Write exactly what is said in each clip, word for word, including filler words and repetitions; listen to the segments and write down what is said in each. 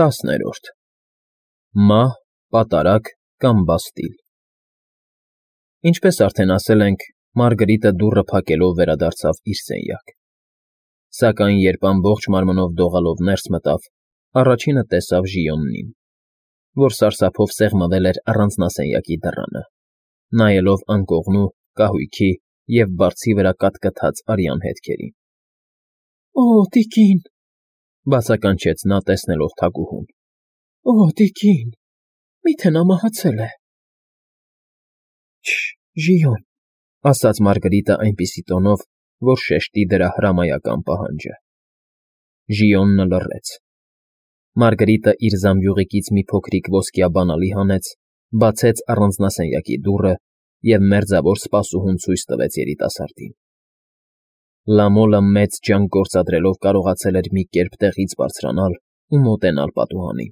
Տասներորդ Մահ, պատարագ կամ բաստիլ Ինչպես արդեն ասել ենք, Մարգրիտը դուռը փակելով վերադարձավ իր սենյակ, սակայն երբ ամբողջ մարմնով դողալով ներս մտավ, առաջինը տեսավ Ժիոնին, որ սարսափով սեղմվել էր առանձնասենյակի դռանը, նայելով անկողնու, կահույքի և բարձի վրա կատկտած արյան հետքերին։ ֊ Օ՜, տիկին,֊ բացականչեց նա, տեսնելով թագուհուն։֊ Օ՜, տիկին, մի՞թե նա մահացել է։ ֊ Չը՛, Ժիոն,֊ ասաց Մարգրիտը այնպիսի տոնով, որ շեշտի դրա հրամայական պահանջը։ Ժիոնը լռեց։ Մարգրիտը իր զամբյուղիկից մի փոքրիկ ոսկյա բանալի հանեց, բացեց առանձնասենյակի դուռը և մերձավոր սպասուհուն ցույց տվեց երիտասարդին։ Լամոլը մեծ ջանք գործադրելով կարողացել էր մի կերպ տեղից բարձրանալ ու մոտենալ պատուհանին,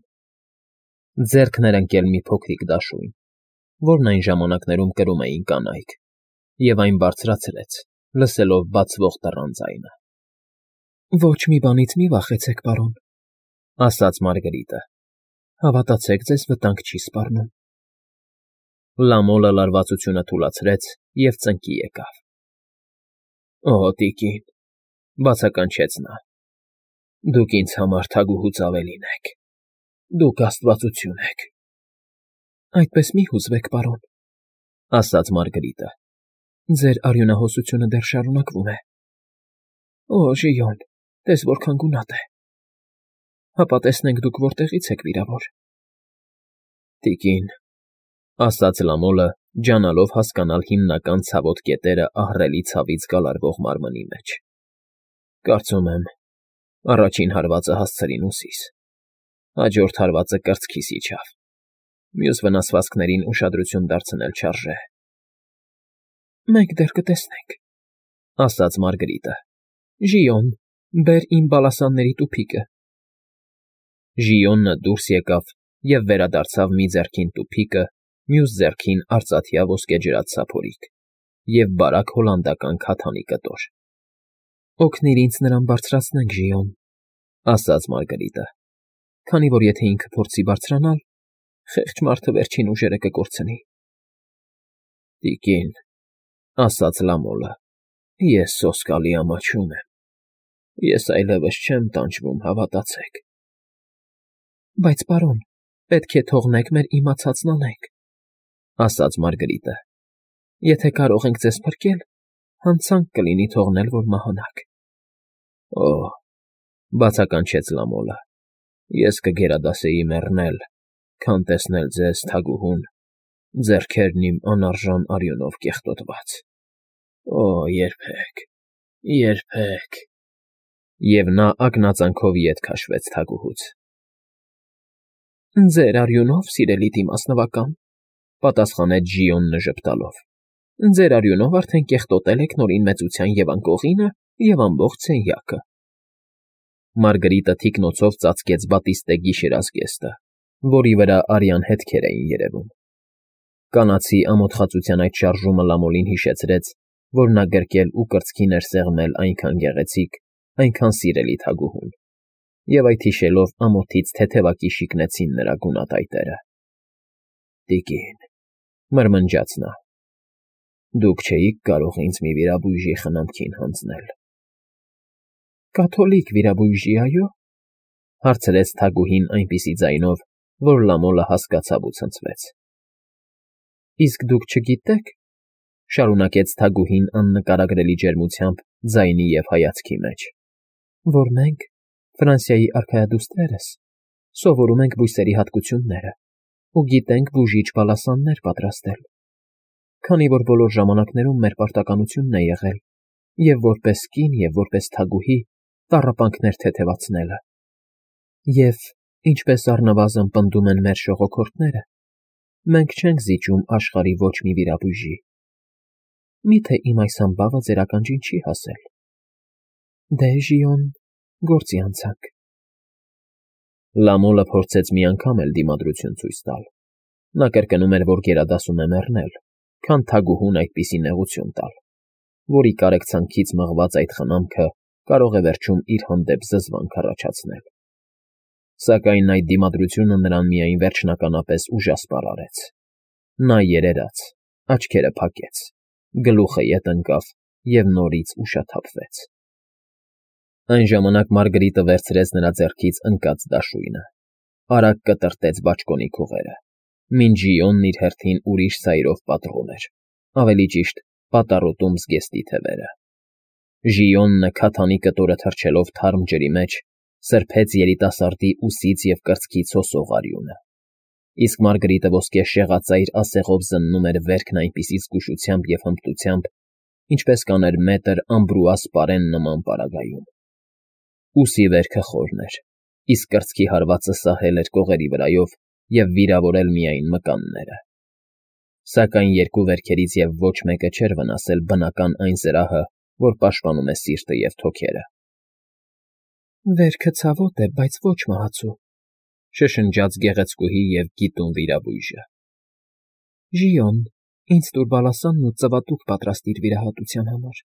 ձեռքն էր ընկել մի փոքրիկ դաշույն, որն այն ժամանակներում կրում էին կանայք, և այն բարձրացրեց, լսելով բացվող դռան ձայնը։ ֊ Ոչ մի բանից մի վախեցեք, պարոն,֊ ասաց Մարգրիտը,֊ հավատացեք, ձեզ վտանգ չի սպառնում։ Լամոլը լարվածությունը թուլացրեց և ծնկի եկավ։ ֊ Օ, տիկին,֊ բացականչեց նա,֊ դուք ինձ համար թագուհուց ավելին եք, դուք աստվածություն եք։ ֊ Այդպես մի հուզվեք, պարոն,֊ ասաց Մարգրիտը,֊ ձեր արյունահոսությունը դեռ շարունակվում է։ Օ, Ժիոն, տես որքան գունատ է։ Հապա տեսնենք, դուք որտեղից եք վիրավոր։ ֊ Տիկին,֊ ասաց Լամոլը, ջանալով հասկանալ հիմնական ցավոտ կետերը ահռելի ցավից գալարվող մարմնի մեջ,֊ կարծում եմ, առաջին հարվածը հասցրին ուսիս, հաջորդ հարվածը կրծքիս իջավ, մյուս վնասվածքներին ուշադրություն դարձնել չարժե։ ֊ Մենք դեռ կտեսնենք,֊ ասաց Մարգրիտը։֊ Ժիոն, բեր իմ բալասանների տուփիկը։ Ժիոնը դուրս եկավ և վերադարձավ մի ձեռքին տուփիկը, մյուս ձեռքին արծաթյա ոսկեջրած սափորիկ և բարակ հոլանդական քաթանի կտոր։ ֊ Օգնիր ինձ նրան բարձրացնենք, Ժիոն,֊ ասաց Մարգրիտը,֊ քանի որ եթե ինքը փորձի բարձրանալ, խեղճ մարդը վերջին ուժերը կկորցնի։ ֊ Տիկին,֊ ասաց Լամոլը,֊ ես սոսկալի ամաչում եմ, ես այլևս չեմ տանջվում, հավատացեք։ ֊ Բայց, պարոն, պետք է թողնեք մեր իմացածն անենք,֊ ասաց Մարգրիտը,֊ եթե կարող ենք ձեզ փրկել, հանցանք կլինի թողնել, որ մահանաք։ ֊ Օ՜, բացականչեց Լամոլը,֊ ես կգերադասեի մեռնել, քան տեսնել ձեզ, թագուհուն, ձեռքերն իմ անարժան արյունով կեղտոտված։ Օ՜, երբեք, երբեք… Եվ նա ակնածանքով ետ քաշվեց թագուհուց։ ֊ Ձեր արյունով, սիրելի դիմասնվական,֊ պատասխանեց Ժիոնը ժպտալով,֊ ձեր արյունով արդեն կեղտոտել եք Նորին Մեծության և անկողինը, և ամբողջ սենյակը։ Մարգրիտը թիկնոցով ծածկեց բատիստե գիշերազգեստը, որի վրա արյան հետքեր էին երևում։ Կանացի ամոթխածության այդ շարժումը Լամոլին հիշեցրեց, որ նա գրկել ու կրծքին էր սեղմել այնքան գեղեցիկ, այնքան սիրելի թագուհուն, և այդ հիշելով ամոթից թեթևակի շիկնեցին նրա գունատայտերը։ ֊ Տիկին,֊ մրմնջաց նա,֊ դուք չէիք կարող ինձ մի վիրաբույժի խնամքին հանձնել։ ֊ Կաթոլիկ վիրաբույժի, այո՞, հարցրեց թագուհին այնպիսի ձայնով, որ Լամոլը հասկացավ ու ցնցվեց։ ֊ Իսկ դուք չգիտե՞ք,֊ շարունակեց թագուհին աննկարագրելի ջերմությամբ ձայնի և հայացքի մեջ,֊ որ մենք, Ֆրանսիայի արքայադուստրերս, սովորում ենք բույսերի հատկությունները ու գիտենք բուժիչ բալասաններ պատրաստել, քանի որ բոլոր ժամանակներում մեր պարտականությունն է եղել և՛ որպես կին, և՛ որպես թագուհի տառապանքներ թեթևացնելը, և, ինչպես առնվազն պնդում են մեր ժողոքորդները, մենք չենք զիջում աշխարհի ոչ մի վիրաբույժի։ Մի՞թե իմ այս ամբավը ձեր ականջին չի հասել։ Դե, Ժիոն, գործի անցանք։ Լամոլը փորձեց մի անգամ էլ դիմադրություն ցույց տալ. նա կրկնում էր, որ գերադասում է մեռնել, քան թագուհուն այդպիսի նեղություն տալ, որի կարեկցանքից մղված այդ խնամքը կարող է վերջում իր հանդեպ զզվանք առաջացնել։ Սակայն այդ դիմադրությունը նրան միայն վերջնականապես ուժասպառ արեց։ Նա երերաց, աչքերը փակեց, գլուխը ետ ընկավ և նորից ուշաթափվեց։ Այն ժամանակ Մարգարիտը վերցրեց նրա ձեռքից ընկած դաշույնը, արագ կտրտեց բաճկոնի քողերը, մինչ Ժիոնն իր հերթին ուրիշ սայրով պատռում էր, ավելի ճիշտ պատառոտում զգեստի թևերը։ Ժիոնը քաթանի կտորը թռչելով թարմ ջրի մեջ սրբեց երիտասարդի ուսից և կրծքից հոսող արյունը, իսկ Մարգարիտը ոսկե շեղածայր ասեղով զննում էր վերքն այնպիսի զգուշությամբ և հմտությամբ, ինչպես կաներ մետր ամբրուա սպարեն նման պարագայում։ Ուսի վերքը խորն էր, իսկ կրծքի հարվածը սահել էր կողերի վրայով և վիրավորել միայն մկանները։ Սակայն երկու վերքերից և ոչ մեկը չէր վնասել բնական այն զրահը, որ պաշտպանում է սիրտը և թոքերը։ «Վերքը ցավոտ է, բայց ոչ մահացու», շշնջաց գեղեցկուհի և գիտուն վիրաբույժը։ «Ժիոն, ինձ տուր բալասանն ու ծվատուկ պատրաստիր վիրահատության համար»։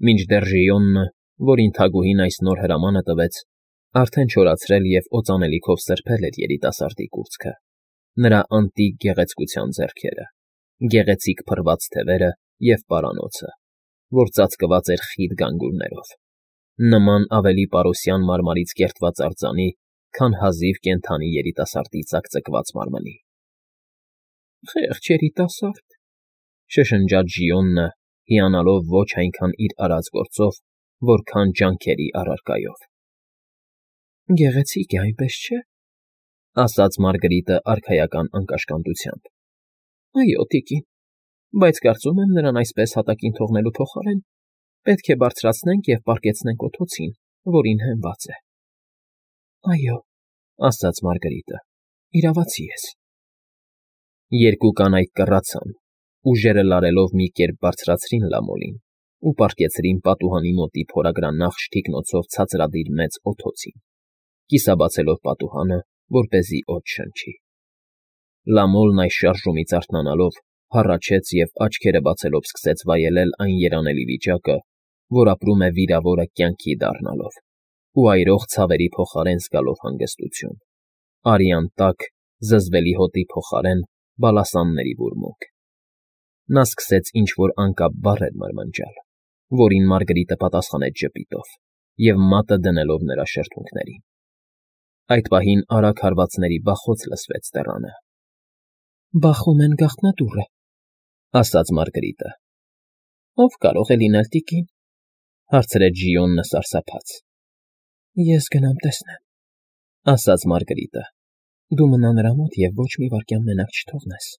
Մինչդեռ Ժիոնը, որին թագուհին այս նոր հրամանը տվեց, արդեն չորացրել և օծանելիքով սրբել էր երիտասարդի կուրծքը, նրա անտիկ գեղեցկության ձեռքերը, գեղեցիկ փռված թևերը և պարանոցը, որ ծածկված էր խիտ գանգուրներով, նման ավելի պարուսյան մարմարից կերտված արձանի, քան հազիվ կենդանի երիտասարդի ծակծկված մարմնի։ «Խեղճ երիտասարդ», շշնջաց Ժիոնը, հիանալով ոչ այնքան իր արած գործով, որքան ջանքերի առարկայով։ «Գեղեցիկ է, այնպես չէ՞, ասաց Մարգարիտը արքայական անկաշկանդությամբ։ «Այո, տիկին, բայց կարծում եմ նրան այսպես հատակին թողնելու փոխարեն պետք է բարձրացնենք և պառկեցնենք օդոցին, որին հենված է»։ «Այո», ասաց Մարգարիտը, «իրավացի ես»։ Երկու կանայք կռացան, ուժերը լարելով մի կերպ բարձրացրին Լամոլին ու պառկեցրին պատուհանի մոտի փորագրանախշ թիկնոցով ցածրադիր մեծ օդոցին, կիսաբացելով պատուհանը, որպեսզի օդ շնչի։ Լամոլն այս շարժումից արթնանալով հառաչեց և աչքերը բացելով սկսեց վայելել այն երանելի վիճակը, որ ապրում է վիրավորը կյանքի դառնալով, ու այրող ցավերի փոխարեն զգալով հանգստություն, արյան տաք, զզվելի հոտի փոխարեն բալասանների բուրմունք։ Նա սկսեց ինչ֊որ անկապ բառեր մրմնջալ, որին Մարգարիտը պատասխանեց ժպիտով և մատը դնելով նրա շրթունքներին։ Այդ պահին արագ հարվածների բախոց լսվեց դռանը։ «Բախում են գաղտնադուռը», ասաց Մարգարիտը։ «Ո՞վ կարող է լինել, տիկին», հարցրեց Ժիոնը սարսափած։ «Ես գնամ տեսնեմ», ասաց Մարգարիտը։ «Դու մնա նրա մոտ և ոչ մի վայրկյան մենակ չթողնես»։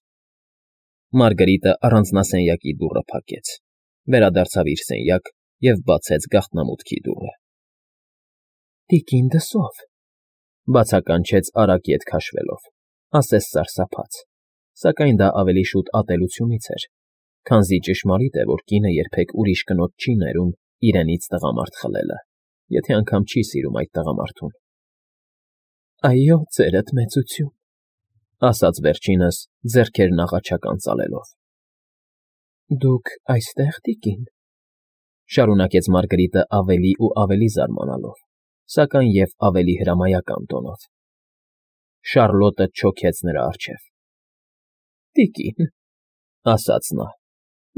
Մարգարիտը առանձնասենյակի դուռը փակեց, վերադարձավ իր սենյակ և բացեց գաղտնամուտքի դուռը։ «Տիկին դսով», բացականչեց արագ ետ քաշվելով, ասես սարսափած, սակայն դա ավելի շուտ ատելությունից էր, քանզի ճշմարիտ է, որ կինը երբեք ուրիշ կնոջ չի ներում իրենից տղամարդ խլելը, եթե անգամ չի սիրում այդ տղամարդուն։ «Այո, ծերդ մեծություն», ասաց վերջինս, ձեռքերն աղաչական ծալելով։ «Դուք այստեղ, տիկին», շարունակեց Մարգարիտը ավելի ու ավելի զարմանալով, սակայն և ավելի հրամայական տոնով։ Շառլոտը չոքեց նրա առջև։ «Տիկին», ասաց նա,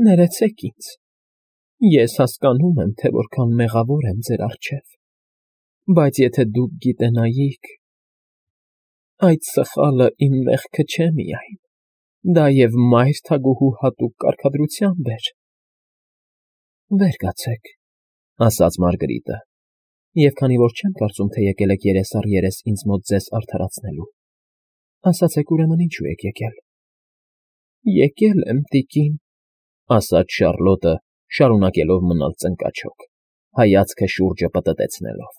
«ներեցեք ինձ։ Ես հասկանում եմ, թե որքան մեղավոր եմ ձեր առջև, բայց եթե դուք գիտենայիք… Այդ սխալը իմ մեղքը չէ միայն, դա և մայր թագուհու հատուկ կարգադրությամբ էր»։ «Վեր կացեք», ասաց Մարգարիտը, «և քանի որ չեմ կարծում, թե եկել եք երես առ երես ինձ մոտ ձեզ արդարացնելու, ասացեք ուրեմն ինչու եք եկել»։ «Եկել եմ, տիկին», ասաց Շառլոտը, շարունակելով մնալ ծնկաչոք, հայացքը շուրջը պտտեցնելով։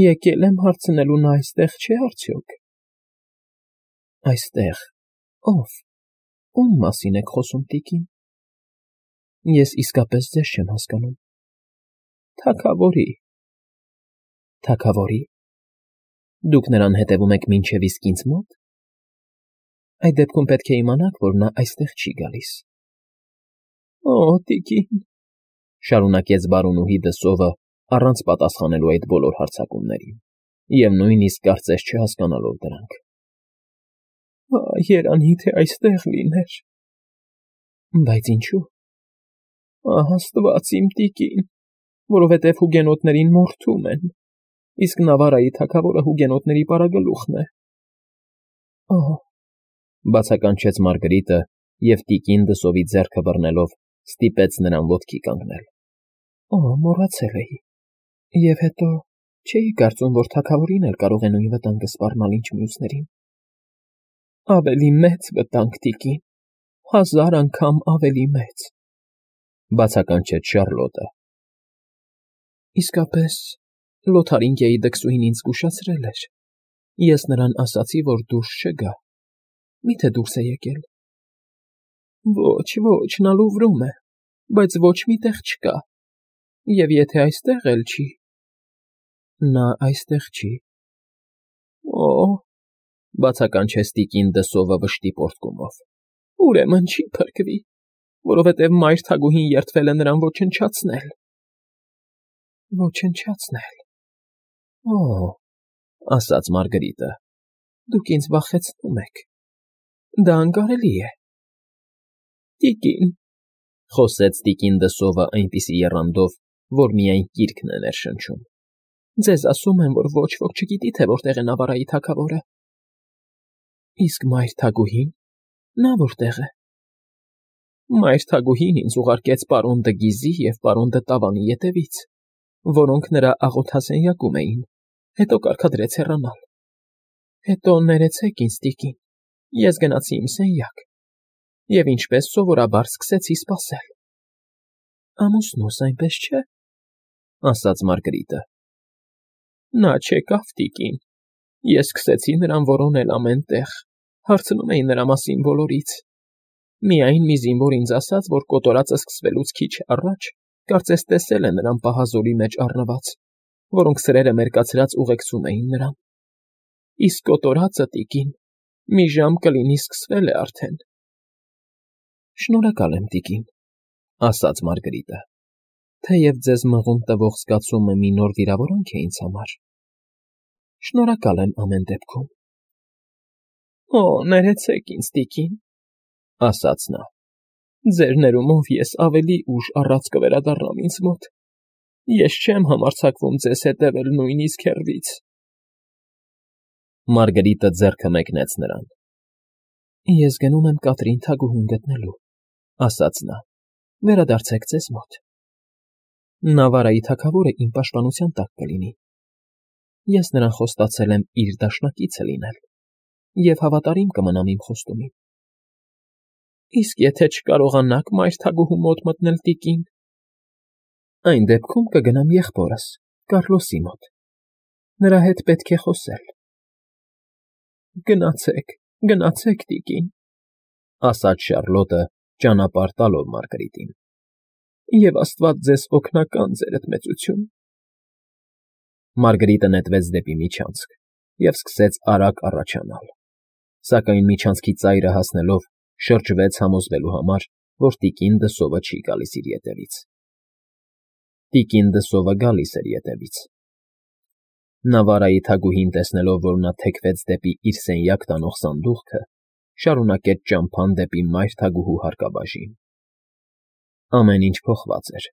«Եկել եմ հարցնելու, նա այստեղ չէ՞ արդյոք»։ «Այստեղ… Ո՞վ, ո՞ւմ մասին եք խոսում, տիկին։ Ես իսկապես ձեզ չեմ հասկանում»։ «Թագավորի»։ «Թագավորի… Դուք նրան հետևում եք մինչև իսկ ինձ մո՞տ։ Այդ դեպքում պետք է իմանաք, որ նա այստեղ չի գալիս»։ «Օ՜, տիկին», շարունակեց բարոնուհի դսովը, առանց պատասխանելու այդ բոլոր հարձակումներին, և նույնիսկ կարծես չհասկանալով դրանք։ Ա, երանի թե այստեղ լիներ… Բայց ինչու՞։ Ահ, Աստված իմ տիկին, որովհետև հուգենոտներին մորթում են, իսկ Նավարայի թագավորը հուգենոտների պարագլուխն է։ Օհ…֊ բացականչեց Մարգարիտը և տիկին դսովի ձեռքը բռնելով ստիպեց նրան ոտքի կանգնել։ Օ՜, մոռացել էի… Եվ հետո, չէի կարծում, որ թագավորին էլ կարող է նույն վտանգը սպառնալ, ինչ մյուսներին։ Ավելի մեծ վտանգ, տիկին, հազար անգամ ավելի մեծ…֊ բացականչեց Շառլոտը։ Իսկապես, Լոթարինգիայի դքսուհին ինձ զգուշացրել էր… Ես նրան ասացի, որ դուրս չգա… Մի՞թե դուրս է եկել։ Ոչ, ոչ, նա Լուվրում է, բայց ոչ մի տեղ չկա… Եվ եթե այստեղ էլ չի… Նա այստեղ չի… Օ՜… բացականչեց տիկին դսովը վշտի պոռթկումով։ Ուրեմն չի փրկվի, որովհետև մայր թագուհին երդվել է նրան ոչնչացնել… Ոչնչացնել… Օ՜… ասաց Մարգարիտը։ Դուք ինձ վախեցնում եք… Դա անկարելի է… Տիկին…֊ խոսեց տիկին դսովը այնպիսի եռանդով, որ միայն կիրքն է ներշնչում։ Ձեզ ասում եմ, որ ոչ ոք չգիտի, թե որտեղ է Նավարայի թագավորը… Իսկ մայր թագուհին… Նա որտեղ է… Մայր թագուհին ինձ ուղարկեց պարոն Դը Գիզի և պարոն Դը Տավանի ետևից, որոնք նրա աղոթասենյակում էին, հետո կարգադրեց հեռանալ… Հետո ներեցեք ինձ, տիկին, ես գնացի իմ սենյակ և ինչպես սովորաբար սկսեցի սպասել… Ամուսնուս, այնպես չէ՞… ասաց Մարգարիտը։ Նա չեկավ, տիկին… Ես սկսեցի նրան որոնել ամեն տեղ, հարցնում էի նրա մասին բոլորից… Միայն մի զինվոր ինձ ասաց, որ կոտորածը սկսվելուց քիչ առաջ կարծես տեսել է նրան պահազոլի մեջ առնված, որոնք սրերը մերկացրած ուղեկցում էին նրան… Իսկ կոտորածը, տիկին, մի ժամ կլինի սկսվել է արդեն… Շնորհակալ եմ, տիկին…֊ ասաց Մարգարիտը, թեև ձեզ մղում տվող զգացումը մի նոր վիրավորանք է ինձ համար… Շնորհակալ եմ ամեն դեպքում… Օ, ներեցեք ինձ, տիկին…֊ ասաց նա։ Ձեր ներումով ես ավելի ուշ առած կվերադառնամ ինձ մոտ… Ես չեմ համարձակվում ձեզ հետևել նույնիսկ հեռվից… Մարգարիտը ձեռքը մեկնեց նրան։ Ես գնում եմ Կատրին թագուհուն գտնելու… ասաց նա, վերադարձեք ձեզ մոտ… Նավարայի թագավորը իմ պաշտպանության տակ կլինի… Ես նրան խոստացել եմ իր դաշնակիցը լինել և հավատարիմ կմնամ իմ խոստումին… Իսկ եթե չկարողանաք մայր թագուհու մոտ մտնել, տիկին… Այն դեպքում կգնամ եղբորս, Կառլոսի մոտ… Նրա հետ պետք է խոսել… Գնացեք, գնացեք, տիկին…֊ ասաց Շառլոտը, ճանապարհ տալով Մարգարիտին… Եվ Աստված ձեզ օգնական, ձերդ մեծություն… Մարգարիտը նետվեց դեպի միջանցք և սկսեց արագ առաջանալ, սակայն միջանցքի ծայրը հասնելով շրջվեց համոզվելու համար, որ տիկին դսովը չի գալիս իր ետևից… Տիկին դսովը գալիս էր ետևից… Նավարայի թագուհին, տեսնելով, որ նա թեքվեց դեպի իր սենյակ տանող սանդուղքը, շարունակեց ճամփան դեպի մայր թագուհու հարկաբաժին… Ամեն ինչ փոխված էր…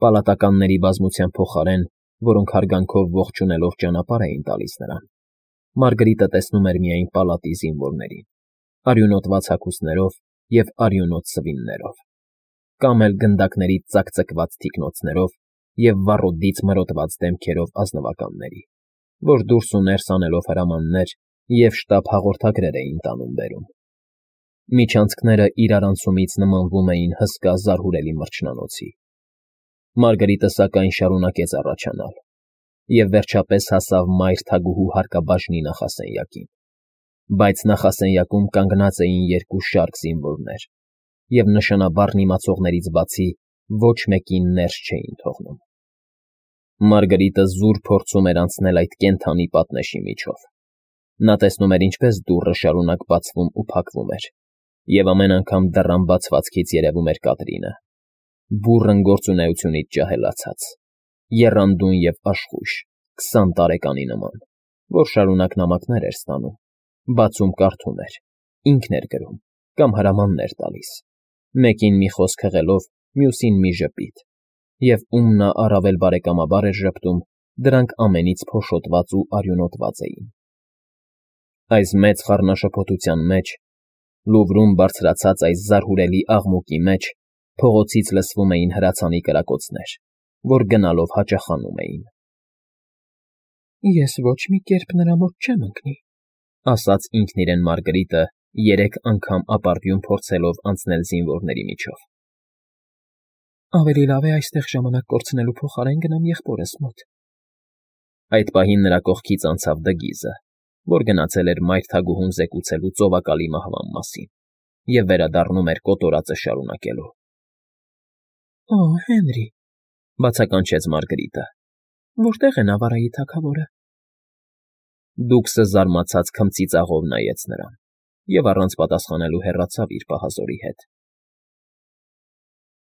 Պալատականների բազմության փոխարեն, որոնք հարգանքով ողջունելով ճանապարհ էին տալիս նրան, Մարգարիտը տեսնում էր միայն պալատի զինվորներին, արյունոտված հագուստներով և արյունոտ սվիններով, կամ էլ գնդակներից ծակծկված թիկնոցներով և վառոդից մրոտված դեմքերով ազնվականների, որ դուրս ու ներս անելով հրամաններ և շտապ հաղորդագրեր էին տանում֊բերում… Միջանցքները իրարանցումից նմանվում էին հսկա զարհուրելի մրջնանոցի… Մարգարիտը, սակայն, շարունակեց առաջանալ և վերջապես հասավ մայր թագուհու հարկաբաժնի նախասենյակին, բայց նախասենյակում կանգնած էին երկու շարք զինվորներ և նշանաբառն իմացողներից բացի ոչ մեկին ներս չէին թողնում… Մարգարիտը զուր փորձում էր անցնել այդ կենդանի պատնեշի միջով… Նա տեսնում էր, ինչպես դուռը շարունակ բացվում ու փակվում էր, և ամեն անգամ դռան բացվածքից երևում էր Կատրինը, բուռն գործունեությունից ջահելացած, եռանդուն և աշխույժ, քսան տարեկանի նման, որ շարունակ նամակներ էր ստանում, բացում կարդում էր, ինքն էր գրում կամ հրամաններ տալիս, մեկին մի խոսք հղելով, մյուսին մի ժպիտ, և ում նա առավել բարեկամաբար էր ժպտում, դրանք ամենից փոշոտված ու արյունոտված էին։ Այս մեծ խառնաշփոթության մեջ, Լուվրում բարձրացած այս զարհուրելի աղմուկի մեջ փողոցից լսվում էին հրացանի կրակոցներ, որ գնալով հաճախանում էին։ Ես ոչ մի կերպ նրա մոտ չեմ ընկնի, ասաց ինքն իրեն Մարգրիտը, երեք անգամ ապարդյուն փորձելով անցնել զինվորների միջով։ Ավելի լավ է այստեղ ժամանակ կորցնելու փոխարեն գնամ եղբորս մոտ։ Այդ պահին նրա կողքից անցավ Դգիզը, որ գնացել էր մայր թագուհուն զեկուցելու ծովակալի մահվան մասին և վերադառնում էր կոտորածը շարունակելու։ Օ, Հենրի, բացականչեց Մարգրիտը։ Որտե՞ղ է Նավարայի թագավորը։ Դուքսը զարմացած քմծիծաղով նայեց նրան և առանց պատասխանելու հեռացավ իր պահազորի հետ։